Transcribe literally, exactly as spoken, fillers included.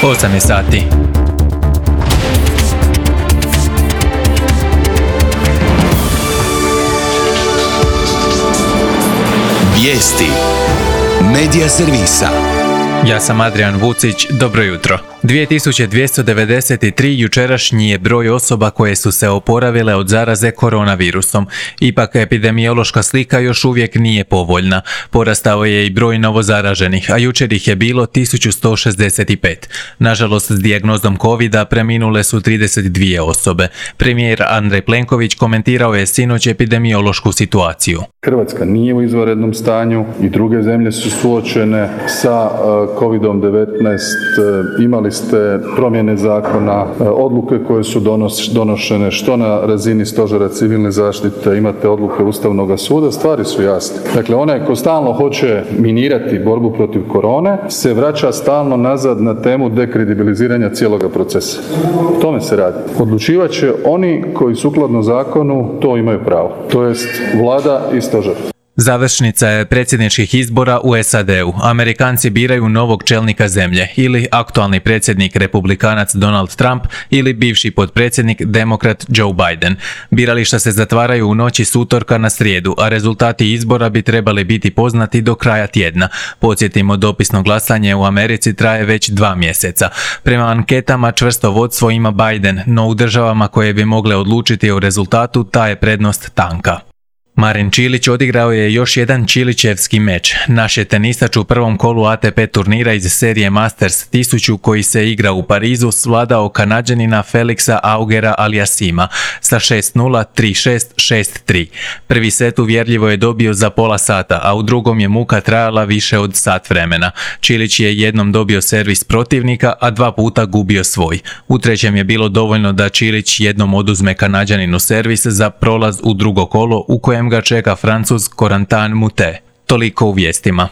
osam je sati. Vijesti Medija servisa. Ja sam Adrian Vucić, dobro jutro. dvije tisuće dvjesto devedeset tri jučerašnji je broj osoba koje su se oporavile od zaraze koronavirusom. Ipak epidemiološka slika još uvijek nije povoljna. Porastao je i broj novozaraženih, a jučer ih je bilo tisuću sto šezdeset pet. Nažalost, s dijagnozom covida preminule su trideset dvije osobe. Premijer Andrej Plenković komentirao je sinoć epidemiološku situaciju. Hrvatska nije u izvanrednom stanju i druge zemlje su suočene sa kovidom devetnaest. Imali ste promjene zakona, odluke koje su donošene što na razini Stožera civilne zaštite, imate odluke Ustavnog suda, stvari su jasne. Dakle, onaj ko stalno hoće minirati borbu protiv korone se vraća stalno nazad na temu dekredibiliziranja cijeloga procesa. O tome se radi. Odlučivat će oni koji sukladno zakonu to imaju pravo, to jest Vlada i Stožer. Završnica je predsjedničkih izbora u S A D-u. Amerikanci biraju novog čelnika zemlje, ili aktualni predsjednik republikanac Donald Trump ili bivši potpredsjednik demokrat Joe Biden. Birališta se zatvaraju u noći s utorka na srijedu, a rezultati izbora bi trebali biti poznati do kraja tjedna. Podsjetimo, dopisno glasanje u Americi traje već dva mjeseca. Prema anketama čvrsto vodstvo ima Biden, no u državama koje bi mogle odlučiti o rezultatu ta je prednost tanka. Marin Čilić odigrao je još jedan čilićevski meč. Naš je tenisač u prvom kolu A T P turnira iz serije Masters tisuću koji se igra u Parizu svladao Kanađanina Felixa Augera-Aliassima sa šest nula, tri šest, šest tri. Prvi set uvjerljivo je dobio za pola sata, a u drugom je muka trajala više od sat vremena. Čilić je jednom dobio servis protivnika, a dva puta gubio svoj. U trećem je bilo dovoljno da Čilić jednom oduzme Kanađaninu servis za prolaz u drugo kolo u kojem ga čeka Francuz Corentin Moutet. Toliko u vijestima.